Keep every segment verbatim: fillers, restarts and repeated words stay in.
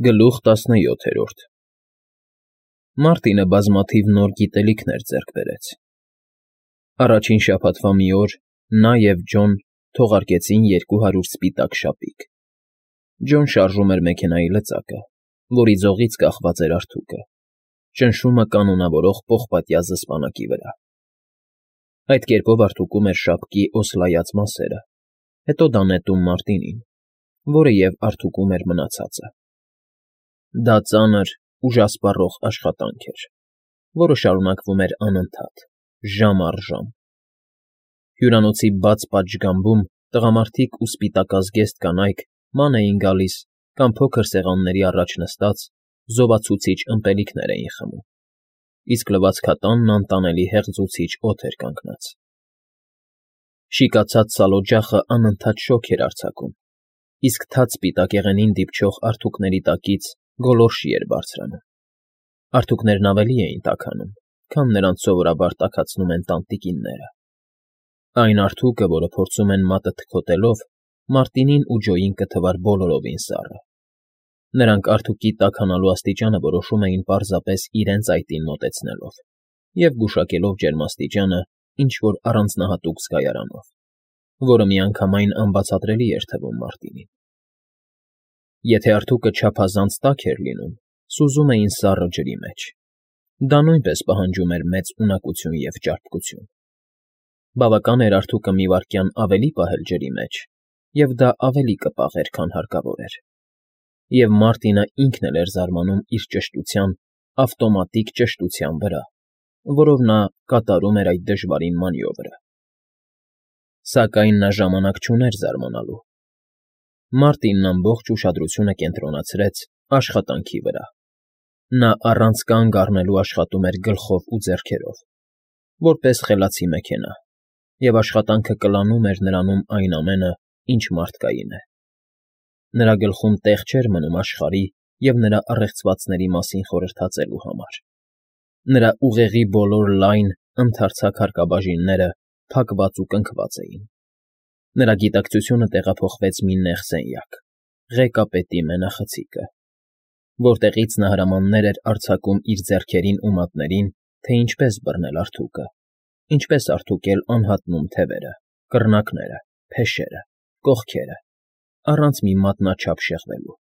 Գլուխ տասնյոթերորդ Մարտինը բազմաթիվ նոր գիտելիքներ ձեռք բերեց։ Առաջին շաբաթվա մի օր նա և Ջոն թողարկեցին երկու հարյուր սպիտակ շապիկ։ Ջոն շարժում էր մեքենայի լծակը, որի ձողից կախված էր արթուկը, ճնշումը կանոնավորող պողպատյա զսպանակի վրա։ Այդ կերպով արթուկում էր շապկի օսլայած մասերը, հետո դա նետում Մարտինին, որը և արթուկում էր մնացածը։ Դա ծանր, ուժասպառող աշխատանք էր, որը շարունակվում էր անընդհատ, ժամ առ ժամ։ Հյուրանոցի բաց պատշգամբում տղամարդիկ ու սպիտակազգեստ կանայք ման էին գալիս կամ փոքր սեղանների առաջ նստած զովացուցիչ ըմպելիքներ էին խմում, իսկ լվացքատանն անտանելի հեղձուցիչ օդ էր կանգնած։ Շիկացած սալօջախը անընդհատ շոգ էր արձակում, իսկ թաց սպիտակեղենին դիպչող արթուկների տակից գոլորշի էր բարձրանում։ Արթուկներն ավելի էին տաքանում, քան նրանց սովորաբար տաքացնում են տանտիկինները։ Այն արթուկը, որը փորձում են մատը թքոտելով, Մարտինին ու Ջոյին կթվար բոլորովին սառը։ Նրանք արթուկի տաքանալու աստիճանը որոշում էին պարզապես իրենց այտին մոտեցնելով և գուշակելով ջերմաստիճանը ինչ֊որ առանձնահատուկ զգայարանով, որը միանգամայն անբացատրելի էր թվում Մարտինին։ Եթե արթուկը չափազանց տաք էր լինում, սուզում էին սառը ջրի մեջ։ Դա նույնպես պահանջում էր մեծ ունակություն և ճարպկություն։ Բավական էր արթուկը մի վայրկյան ավելի պահել ջրի մեջ, և դա ավելի կպաղեր, քան հարկավոր էր։ Եվ Մարտինը ինքն էլ էր զարմանում իր ճշտության, ավտոմատիկ ճշտության վրա, որով նա կատարում էր այդ դժվարին մանևրը։ Սակայն նա ժամանակ չուներ զարմանալու։ Մարտինն ամբողջ ուշադրությունը կենտրոնացրեց աշխատանքի վրա։ Նա առանց կանգ առնելու աշխատում էր գլխով ու ձեռքերով, որպես խելացի մեքենա, և աշխատանքը կլանում էր նրանում այն ամենը, ինչ մարդկային է։ Նրա գլխում տեղ չէր մնում աշխարհի և նրա առեղծվածների մասին խորհրդածելու համար։ Նրա ուղեղի բոլոր լայն, ընդարձակ հարկաբաժինները փակված ու կնքված էին։ Նրա գիտակցությունը տեղափոխվեց մի նեղ սենյակ՝ ղեկապետի մենախցիկը, որտեղից նա հրամաններ էր արձակում իր ձեռքերին ու մատներին, թե ինչպես բռնել արթուկը, ինչպես արթուկել անհատնում թևերը, կռնակները, փեշերը, կողքերը, առանց մի մատնաչափ շեղվելու,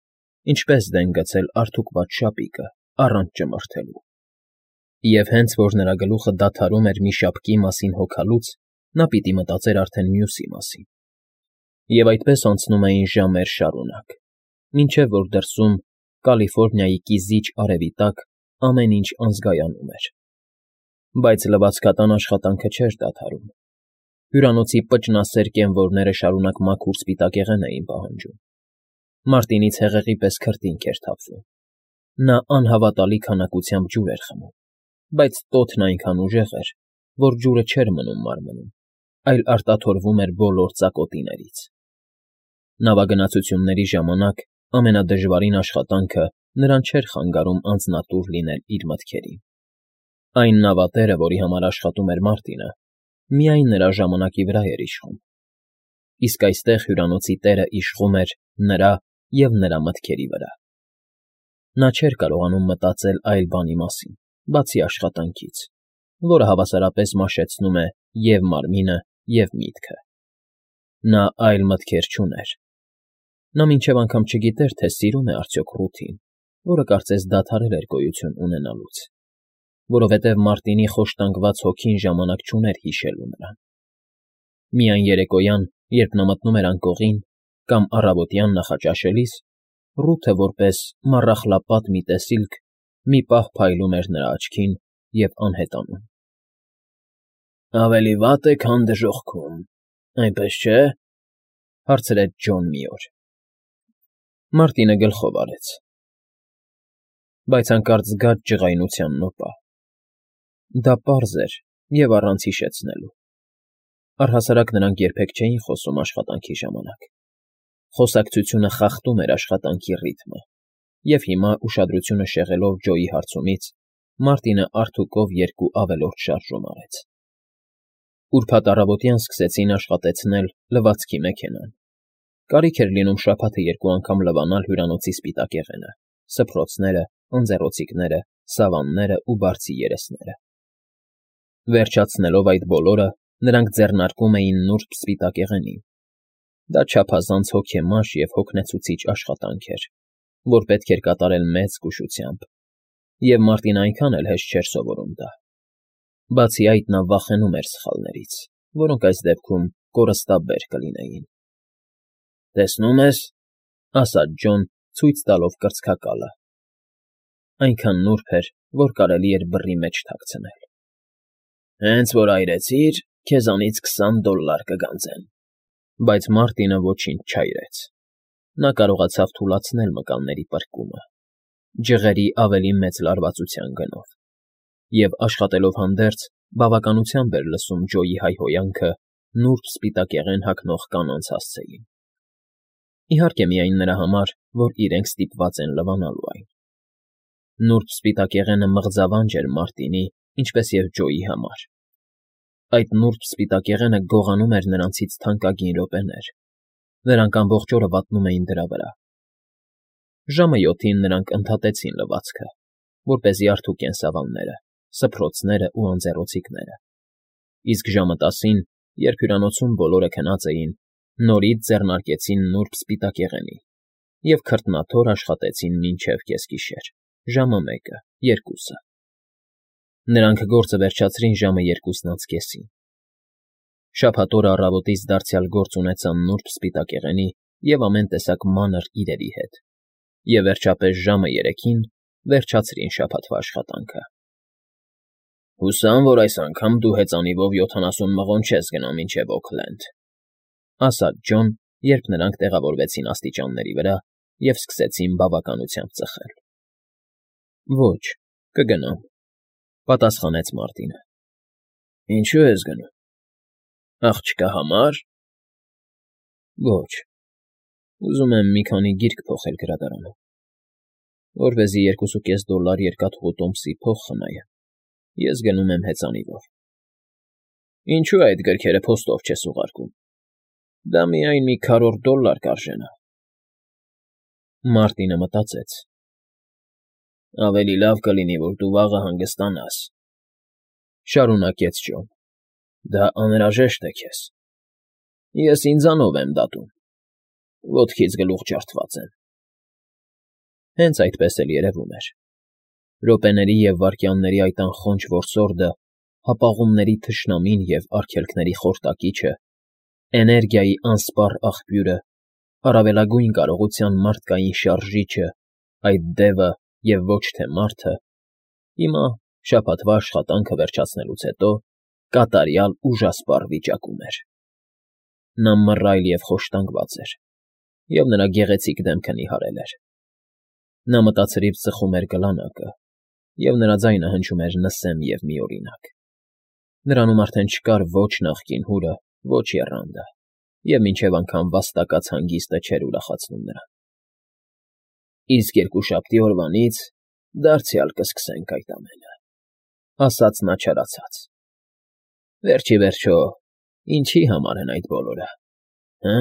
ինչպես դեն գցել արթուկված շապիկը, առանց ճմրթելու։ Եվ հենց որ նրա գլուխը դադարում էր մի շապկի մասին հոգալուց, նա պիտի մտածեր արդեն մյուսի մասին։ Եվ այդպես անցնում էին ժամեր շարունակ, մինչև որ դրսում, Կալիֆոռնիայի կիզիչ արևի տակ, ամեն ինչ անզգայանում էր։ Բայց լվացքատան աշխատանքը չէր դադարում։ Հյուրանոցի պճնասեր կենվորները շարունակ մաքուր սպիտակեղեն էին պահանջում։ Մարտինից հեղեղի պես քրտինք էր թափվում։ Նա անհավատալի քանակությամբ ջուր էր խմում, բայց տոթն այնքան ուժեղ էր, որ ջուրը չէր մնում մարմնում, այլ արտաթորվում էր բոլոր ծակոտիներից։ Նավագնացությունների ժամանակ ամենադժվարին աշխատանքը նրան չէր խանգարում անձնատուր լինել իր մտքերին։ Այն նավատերը, որի համար աշխատում էր Մարտինը, միայն նրա ժամանակի վրա էր իշխում։ Իսկ այստեղ հյուրանոցի տերը իշխում էր նրա և նրա մտքերի վրա։ Նա չէր կարողանում մտածել այլ բանի մասին, բացի աշխատանքից, որը հավասարապես մաշեցնում է և՛ մարմինը, և՛ միտքը։ Նա այլ մտքեր չուներ։ Նա մինչև անգամ չգիտեր, թե սիրո՞ւմ է արդյոք Ռութին, որը կարծես դադարել էր գոյություն ունենալուց, որովհետև Մարտինի խոշտանգված հոգին ժամանակ չուներ հիշելու նրան։ Միայն երեկոյան, երբ նա մտնում էր անկողին, կամ առավոտյան նախաճաշելիս, Ռութը, որպես մառախլապատ մի տեսիլք, մի պահ փայլում էր նրա աչքին և անհետանում։ ֊ Ավելի վատ է, քան դժոխքում, այնպես չէ՞, հարցրեց Ջոն մի օր։ Մարտինը գլխով արեց, բայց հանկարծ զգաց ջղայնության նոպա։ Դա պարզ էր և առանց հիշեցնելու։ Առհասարակ նրանք երբեք չէին խոսում աշխատանքի ժամանակ։ Խոսակցությունը խախտում էր աշխատանքի ռիթմը, և հիմա, ուշադրությունը շեղելով Ջոյի հարցումից, Մարտինը արթուկով երկու ավելորդ շարժում արեց։ Ուրբաթ առավոտյան սկսեցին աշխատեցնել լվացքի մեքենան։ Կարիք էր լինում շաբաթը երկու անգամ լվանալ հյուրանոցի սպիտակեղենը, սփռոցները, ընձեռոցիկները, սավանները ու բարձի երեսները։ Վերջացնելով այդ բոլորը, նրանք ձեռնարկում էին նուրբ սպիտակեղենին։ Դա չափազանց հոգեմաշ և հոգնեցուցիչ աշխատանք էր, որ պետք էր կատարել մեծ զգուշությամբ, և Մարտին այնքան էլ հեշտ չէր սովորում դա։ Բացի այդ, նա վախենում էր սխալներից, որոնք այս դեպքում կորստաբեր կլինեին։ ֊ Տեսնո՞ւմ ես,֊ ասաց Ջոն, ցույց տալով կրծքակալը. այնքան նուրբ էր, որ կարելի էր բռի մեջ թաքցնել։ ֊ Հենց որ այրեցիր, քեզանից քսան դոլլար կգանձեն։ Բայց Մարտինը ոչինչ չայրեց։ Նա կարողացավ թուլացնել մկանների պրկումը, ջղերի ավելի մեծ լարվածության գնով, և, աշխատելով հանդերձ, բավականությամբ էր լսում Ջոյի հայհոյանքը նուրբ սպիտակեղեն հագնող կանանց հասցեին։ Իհարկե միայն նրա համար, որ իրենք ստիպված են լվանալու այն։ Նուրբ սպիտակեղենը մղձավանջ էր Մարտինի, ինչպես և Ջոյի համար։ Այդ նուրբ սպիտակեղենը գողանում էր նրանցից թանկագին րոպեներ, նրանք ամբողջ օրը վատնում էին դրա վրա։ Ժամը յոթին նրանք ընդհատեցին լվացքը, որպեսզի արդուկեն սավանները, սփռոցներն ու անձեռոցիկները, իսկ ժամը տասին, երբ հյուրանոցում բոլորը քնած էին, նորից ձեռնարկեցին նուրբ սպիտակեղենի և քրտնաթոր աշխատեցին մինչև կեսգիշեր, ժամը մեկը, երկուսը։ Նրանք գործը վերջացրին ժամը երկուսն անց կեսին։ Շաբաթ օրը առավոտից դարձյալ գործ ունեցան նուրբ սպիտակեղենի և ամեն տեսակ մանր իրերի հետ, և վերջապես ժամը երեքին վերջացրին շաբաթվա աշխատանքը։ ֊ Հուսամ, որ այս անգամ դու հեծանիվով յոթանասուն մղոն չես գնա մինչև Օքլենդ,֊ ասաց Ջոն, երբ նրանք տեղավորվեցին աստիճանների վրա և սկսեցին բավականությամբ ծխել։ ֊ Ոչ, կգնամ,֊ պատասխանեց Մարտինը։ ֊ Ինչո՞ւ ես գնում։ Աղջկա համար։ ֊ Ոչ, ուզում եմ մի քանի գիրք փոխել գրադարանում, որպեսզի երկուսուկես դոլլար երկաթուղու տոմսի փող խնայեմ, ես գնում եմ հեծանիվով։ ֊ Ինչո՞ւ այդ գրքերը փոստով չես ուղարկում։ Դա միայն մի քառորդ դոլլար կարժենա։ Մարտինը մտածեց. ավելի լավ կլինի, որ դու վաղը հանգստանաս,֊ շարունակեց Ջոն։ Դա անհրաժեշտ է քեզ։ Ես ինձանով եմ դատում, ոտքից գլուխ ջարդված եմ։ Հենց այդպես էլ երևում էր։ Րոպեների և վայրկյանների այդ անխոնջ որսորդը, հապաղումների թշնամին և արգելքների խորտակիչը, էներգիայի անսպառ աղբյուրը, առավելագույն կարողության մարդկային շարժիչը, այդ դևը և ոչ թե մարդը, հիմա, շաբաթվա աշխատանքը վերջացնելուց հետո, կատարյալ ուժասպառ վիճակում էր։ Նա մռայլ և խոշտանգված էր, և նրա գեղեցիկ դեմքը նիհարել էր։ Նա մտածրիվ ծխում էր գլանակը, և նրա ձայնը հնչում էր նսեմ և միօրինակ։ Նրանում արդեն չկար ոչ նախկին հուրը, ոչ եռանդը, և մինչև անգամ վաստակած հանգիստը չէր ուրախացնում նրան։ ֊ Իսկ երկուշաբթի օրվանից դարձյալ կսկսենք այդ ամենը,֊ ասաց նա չարացած։ ֊ Վերջ ի վերջո, ինչի համար են այդ բոլորը, հը՞։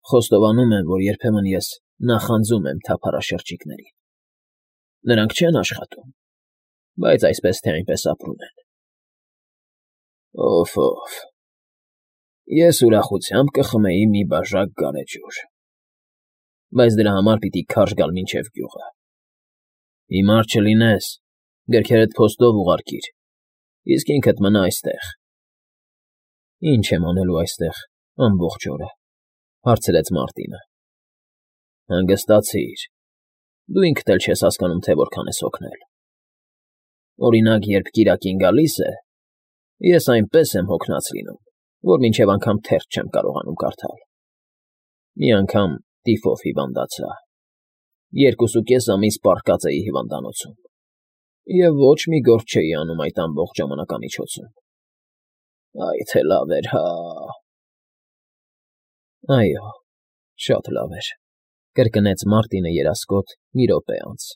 Խոստովանում եմ, որ երբեմն ես նախանձում եմ թափառաշրջիկներին։ Նրանք չեն աշխատում, բայց այսպես թե այնպես ապրում են։ Օֆ֊օֆ, ես ուրախությամբ կխմեի մի բաժակ գարեջուր, բայց դրա համար պիտի քարշ գալ մինչև գյուղը։ Հիմար չլինես, գրքերդ փոստով ուղարկիր, իսկ ինքդ մնա այստեղ։ ֊ Ի՞նչ եմ անելու այստեղ ամբողջ օրը,֊ հարցրեց Մարտինը։ ֊ Հանգստացիր, դու ինքդ էլ չես հասկանում, թե որքան ես հոգնել։ Օրինակ, երբ կիրակին գալիս է, ես այնպես եմ հոգնած լինում, որ մինչև անգամ թերթ չեմ կարողանում կարդալ։ Մի անգամ տիֆով հիվանդացա, երկուսուկես ամիս պառկած էի հիվանդանոցում, և ոչ մի գործ չէի անում այդ ամբողջ ժամանակամիջոցում։ Այ թե լավ էր, հա՜։ ֊ Այո, շատ լավ էր,֊ կրկնեց Մարտինը երասկոտ մի րոպե անց։